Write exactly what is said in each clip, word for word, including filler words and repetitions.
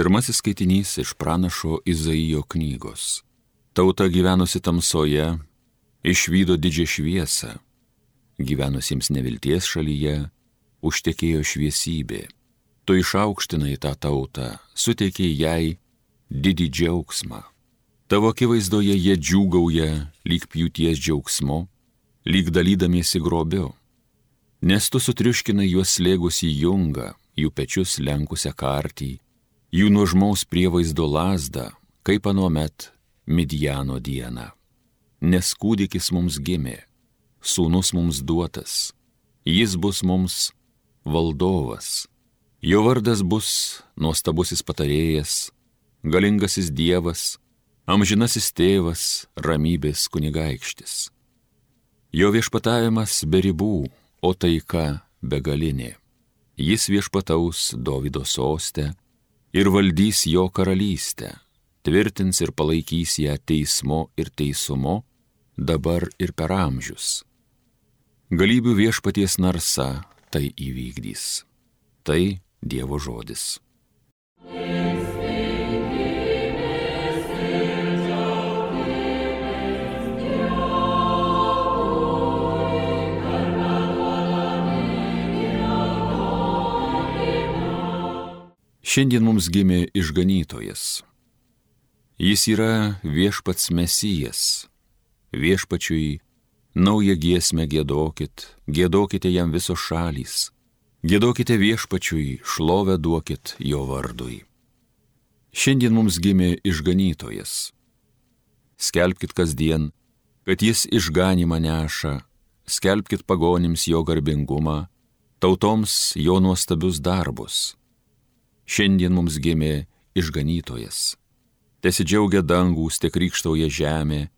Pirmasis skaitinys iš pranašo Izaijo knygos. Tauta gyvenusi tamsoje išvydo didžią šviesą. Gyvenusiems nevilties šalyje užtekėjo šviesybė. Tu išaukštinai tą tautą, suteikei jai didį džiaugsmą. Tavo akivaizdoje jie džiūgauja lyg pjūties džiaugsmu, lyg dalydamiesi grobiu. Nes tu sutriuškinai juos slėgus į jungą, jų pečius lenkusią kartį, jų nuožmaus prievaizdo lazdą, kaip anuomet Midjano dieną. Nes kūdikis mums gimė, sūnus mums duotas, jis bus mums valdovas. Jo vardas bus nuostabusis patarėjas, galingasis Dievas, amžinasis tėvas, ramybės kunigaikštis. Jo viešpatavimas be ribų, o taika begalinė. Jis viešpataus Dovydo soste ir valdys jo karalystę, tvirtins ir palaikys ją teismu ir teisumu, dabar ir per amžius. Galybių viešpaties narsa tai įvykdys. Tai Dievo žodis. Šiandien mums gimė išganytojas. Jis yra viešpats Mesijas. Viešpačiui naują giesmę giedokit, giedokite jam visos šalys. Giedokite viešpačiui, šlovę duokit jo vardui. Šiandien mums gimė išganytojas. Skelbkit kasdien, kad jis išganymą neša, skelbkit pagonims jo garbingumą, tautoms jo nuostabius darbus. Šiandien mums gimė išganytojas. Tesidžiaugia dangūs, te krykštauja žemė,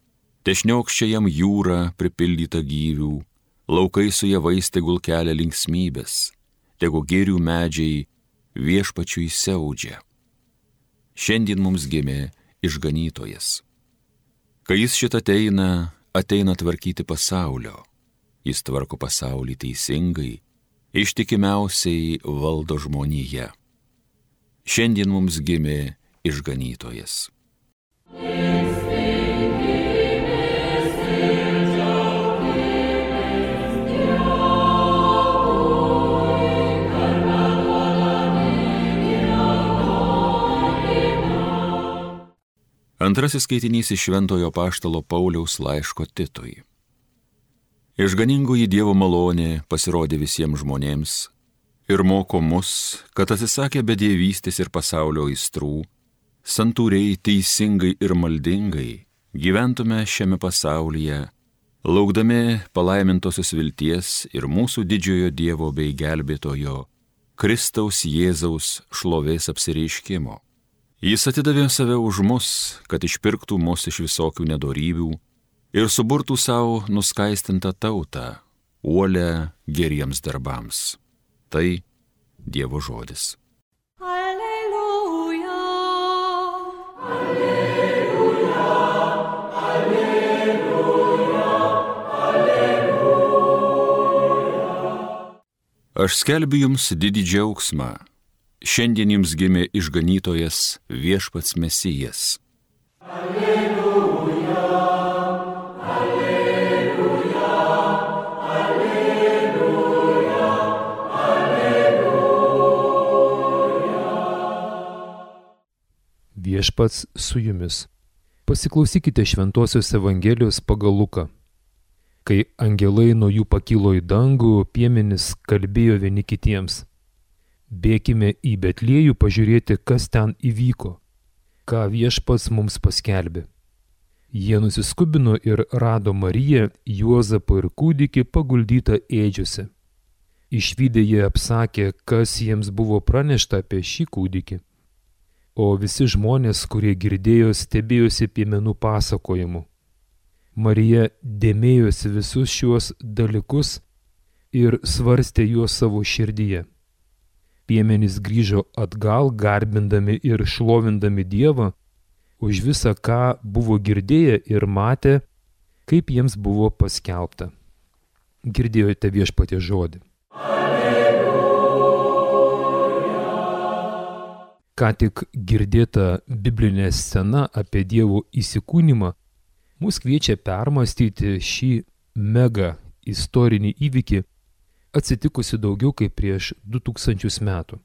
te šniokščia jam jūra pripildyta gyvių, laukai su javais tegul kelia linksmybės, tegu gėrių medžiai viešpačiui siaudžia. Šiandien mums gimė išganytojas. Kai jis šitą ateina, ateina tvarkyti pasaulio. Jis tvarko pasaulį teisingai, ištikimiausiai valdo žmoniją. Šiandien mums gimė išganytojas. Antrasis skaitinys iš Šventojo Apaštalo Pauliaus laiško Titui. Išganingoji Dievo malonė pasirodė visiems žmonėms ir moko mus, kad atsisakę bedievystės ir pasaulio aistrų, santūriai, teisingai ir maldingai gyventume šiame pasaulyje, laukdami palaimintosios vilties ir mūsų didžiojo Dievo bei gelbėtojo, Kristaus Jėzaus šlovės apsireiškimo. Jis atidavė save už mus, kad išpirktų mus iš visokių nedorybių ir suburtų savo nuskaistintą tautą, uolę geriems darbams. Tai Dievo žodis. Alleluja, alleluja, alleluja, alleluja. Aš skelbiu jums didį džiaugsmą. Šiandien jums gimė išganytojas viešpats Mesijas. Alleluja, alleluja, alleluja, alleluja. Viešpats su jumis. Pasiklausykite Šventosios Evangelijos pagal Luką. Kai angelai nuo jų pakilo į dangų, piemenys kalbėjo vieni kitiems: bėkime į Betliejų pažiūrėti, kas ten įvyko, ką viešpats mums paskelbė. Jie nusiskubino ir rado Mariją, Juozapą ir kūdikį paguldytą ėdžiose. Išvydę jie apsakė, kas jiems buvo pranešta apie šį kūdikį. O visi žmonės, kurie girdėjo, stebėjosi piemenų pasakojimu. Marija dėmėjosi visus šiuos dalykus ir svarstė juos savo širdyje. Piemenys grįžo atgal, garbindami ir šlovindami Dievą už visą, ką buvo girdėję ir matę, kaip jiems buvo paskelbta. Girdėjote Viešpaties žodį. Alleluja. Ką tik girdėta biblinė scena apie Dievo įsikūnymą mus kviečia permastyti šį mega istorinį įvykį atsitikusi daugiau kaip prieš du tūkstančius metų.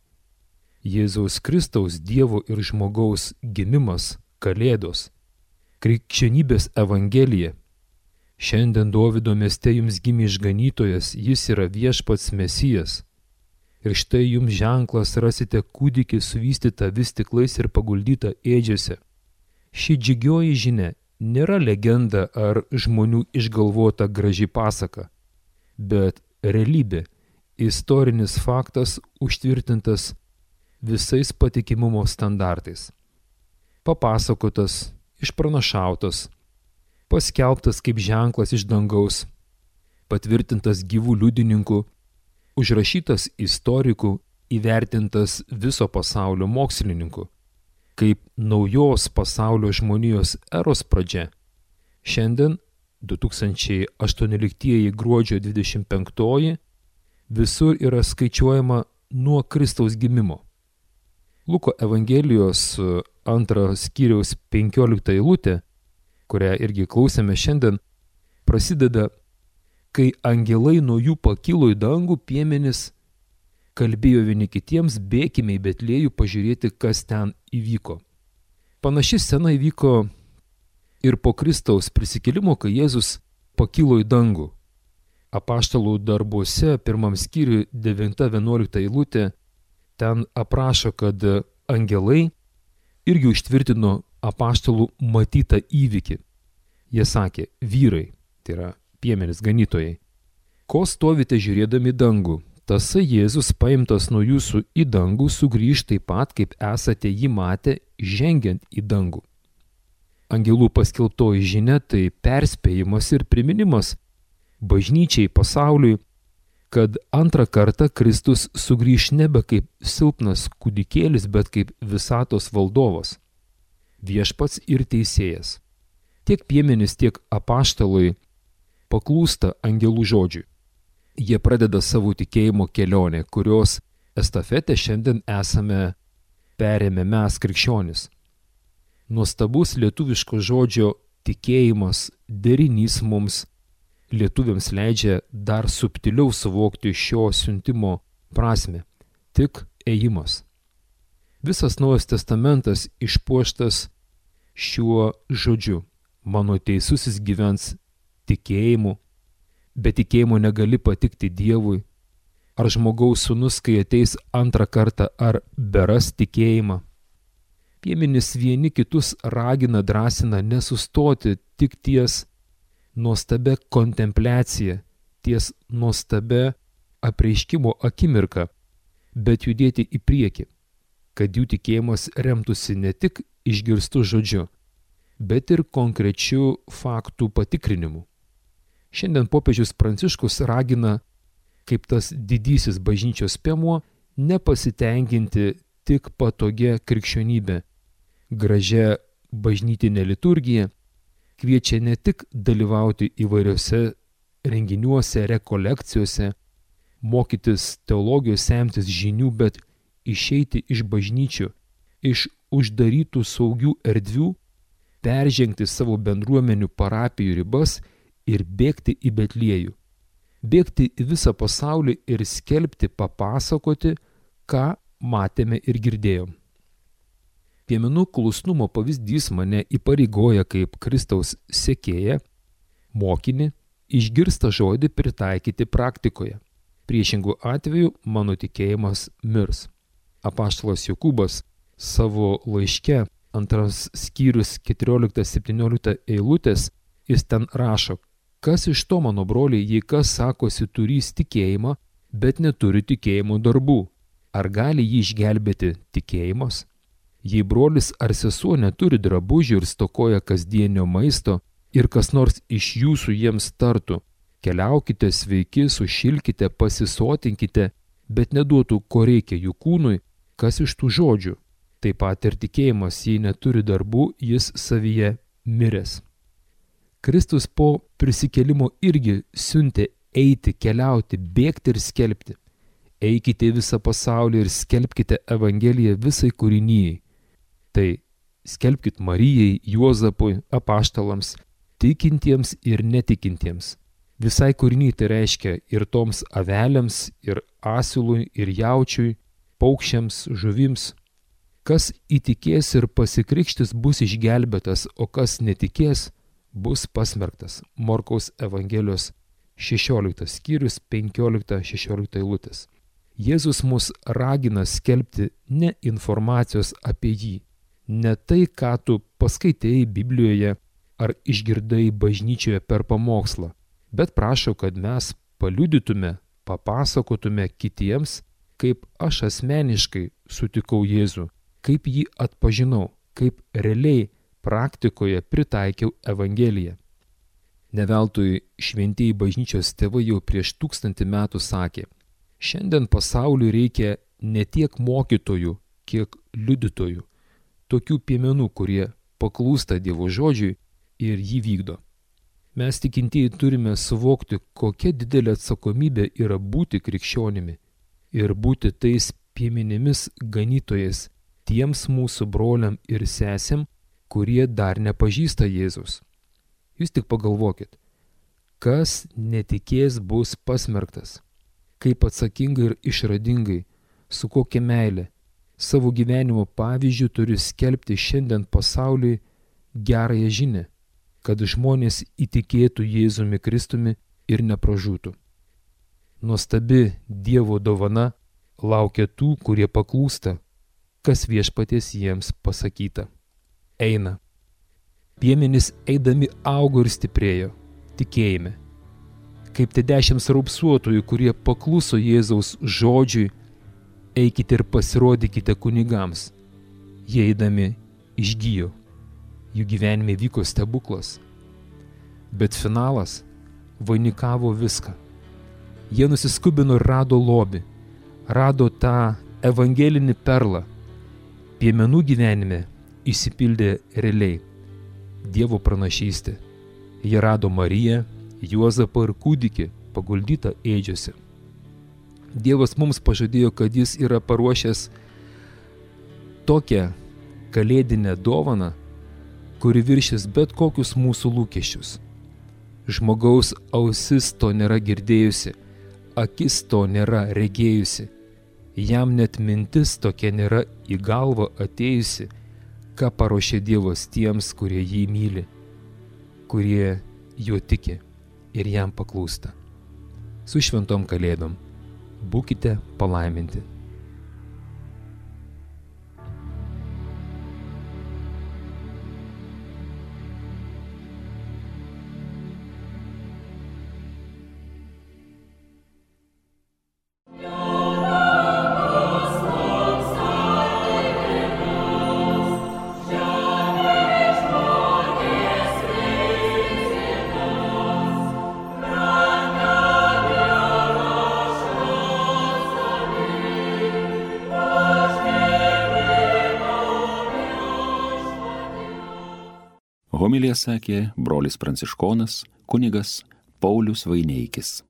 Jėzaus Kristaus, Dievo ir žmogaus gimimas, Kalėdos, krikščionybės evangelija. Šiandien Dovydo mieste jums gimė išganytojas, jis yra viešpats Mesijas. Ir štai jums ženklas, rasite kūdikį suvystytą vis stiklais ir paguldytą ėdžiose. Ši džiugioji žinia nėra legenda ar žmonių išgalvota graži pasaka, bet realybė, istorinis faktas užtvirtintas visais patikimumo standartais. Papasakotas, išpranašautas, paskelbtas kaip ženklas iš dangaus, patvirtintas gyvų liudininkų, užrašytas istorikų, įvertintas viso pasaulio mokslininkų, kaip naujos pasaulio žmonijos eros pradžia. Šiandien, du tūkstančiai aštuonioliktieji gruodžio dvidešimt penktoji, visur yra skaičiuojama nuo Kristaus gimimo. Luko Evangelijos antras skyriaus penkiolikta eilutė, kurią irgi klausėme šiandien, prasideda, kai angelai nuo jų pakilo į dangų, piemenys kalbėjo vieni kitiems, bėkime į Betliejų pažiūrėti, kas ten įvyko. Panaši scena įvyko ir po Kristaus prisikėlimo, kai Jėzus pakilo į dangų. Apaštalų darbuose pirmam skyriui devinta vienuolikta eilutė ten aprašo, kad angelai irgi užtvirtino apaštalų matytą įvykį. Jie sakė, vyrai, tai yra piemenys ganytojai, ko stovite žiūrėdami dangų? Tasai Jėzus paimtas nuo jūsų į dangų sugrįž taip pat, kaip esate jį matę, žengiant į dangų. Angelų paskelbtoji žinia tai perspėjimas ir priminimas bažnyčiai, pasauliui, kad antrą kartą Kristus sugrįž nebe kaip silpnas kūdikėlis, bet kaip visatos valdovas, viešpats ir teisėjas. Tiek piemenys, tiek apaštalai paklūsta angelų žodžiui. Jie pradeda savo tikėjimo kelionę, kurios estafetę šiandien esame perėmę mes krikščionys. Nuostabus lietuviško žodžio tikėjimas, derinys mums lietuviams leidžia dar subtiliau suvokti šio siuntimo prasmę. Tik ėjimas. Visas Naujas testamentas išpuoštas šiuo žodžiu. Mano teisusis gyvens tikėjimu, be tikėjimo negali patikti Dievui. Ar žmogaus sūnus, kai ateis antrą kartą, ar beras tikėjimą? Piemenys vieni kitus ragina, drąsina nesustoti tik ties nuostabia kontempliacija, ties nuostabia apreiškimo akimirka, bet judėti į priekį, kad jų tikėjimas remtųsi ne tik išgirstų žodžiu, bet ir konkrečių faktų patikrinimu. Šiandien popiežius Pranciškus ragina, kaip tas didysis bažnyčios piemuo, nepasitenkinti tik patogia krikščionybė, gražia bažnytinė liturgija, kviečia ne tik dalyvauti įvairiose renginiuose, rekolekcijose, mokytis teologijos, semtis žinių, bet išeiti iš bažnyčių, iš uždarytų saugių erdvių, peržengti savo bendruomenių parapijų ribas ir bėgti į Betliejų. Bėgti į visą pasaulį ir skelbti, papasakoti, ką matėme ir girdėjom. Piemenų klusnumo pavyzdys mane įpareigoja kaip Kristaus sekėją, mokinį, išgirstą žodį pritaikyti praktikoje. Priešingų atveju mano tikėjimas mirs. Apaštalas Jokūbas savo laiške, antras skyrius keturiolikta septyniolikta eilutės, jis ten rašo, kas iš to, mano broliai, jei kas sakosi turys tikėjimą, bet neturi tikėjimo darbų, ar gali jį išgelbėti tikėjimas? Jei brolis ar sesuo neturi drabužių ir stokoja kasdienio maisto, ir kas nors iš jūsų jiems tartų, keliaukite sveiki, sušilkite, pasisotinkite, bet neduotų, ko reikia jų kūnui, kas iš tų žodžių. Taip pat ir tikėjimas, jei neturi darbų, jis savyje miręs. Kristus po prisikėlimo irgi siuntė eiti, keliauti, bėgti ir skelbti. Eikite į visą pasaulį ir skelbkite Evangeliją visai kūrinijai. Tai skelbkit Marijai, Juozapui, apaštalams, tikintiems ir netikintiems. Visai kūriniai tai reiškia ir toms avelėms, ir asilui, ir jaučiui, paukščiams, žuvims. Kas įtikės ir pasikrikštis bus išgelbėtas, o kas netikės bus pasmerktas. Morkaus Evangelijos šešioliktas skyrius, penkiolikta šešiolikta eilutės. Jėzus mus ragina skelbti ne informacijos apie jį, ne tai, ką tu paskaitėjai Biblijoje ar išgirdai bažnyčioje per pamokslą, bet prašo, kad mes paliudytume, papasakotume kitiems, kaip aš asmeniškai sutikau Jėzų, kaip jį atpažinau, kaip realiai praktikoje pritaikiau Evangeliją. Neveltui šventieji bažnyčios tėvai jau prieš tūkstantį metų sakė: šiandien pasauliui reikia ne tiek mokytojų, kiek liudytojų, tokių piemenų, kurie paklūsta Dievo žodžiui ir jį vykdo. Mes tikintieji turime suvokti, kokia didelė atsakomybė yra būti krikščionimi ir būti tais piemenimis ganytojais tiems mūsų broliam ir sesėm, kurie dar nepažįsta Jėzus. Jūs tik pagalvokit, kas netikės bus pasmerktas, kaip atsakingai ir išradingai, su kokia meilė, savo gyvenimo pavyzdžių turi skelbti šiandien pasauliui gerąją žinią, kad žmonės įtikėtų Jėzumi Kristumi ir nepražūtų. Nuostabi Dievo dovana laukia tų, kurie paklūsta, kas Viešpaties jiems pasakyta. Eina. Piemenys eidami augo ir stiprėjo tikėjime. Kaip tie dešimt raupsuotojų, kurie pakluso Jėzaus žodžiui, eikite ir pasirodykite kunigams. Jie eidami išgijo. Jų gyvenime vyko stebuklas. Bet finalas vainikavo viską. Jie nusiskubino ir rado lobį. Rado tą evangelinį perlą. Piemenų gyvenime išsipildė realiai Dievo pranašystė. Jie rado Mariją, Juozapą ir kūdikį paguldytą ėdžiose. Dievas mums pažadėjo, kad jis yra paruošęs tokią kalėdinę dovaną, kuri viršys bet kokius mūsų lūkesčius. Žmogaus ausis to nėra girdėjusi, akis to nėra regėjusi, jam net mintis tokia nėra į galvą atėjusi, ką paruošė Dievas tiems, kurie jį myli, kurie juo tiki ir jam paklūsta. Su šventom kalėdom būkite palaiminti. Homiliją sakė brolis pranciškonas kunigas Paulius Vaineikis.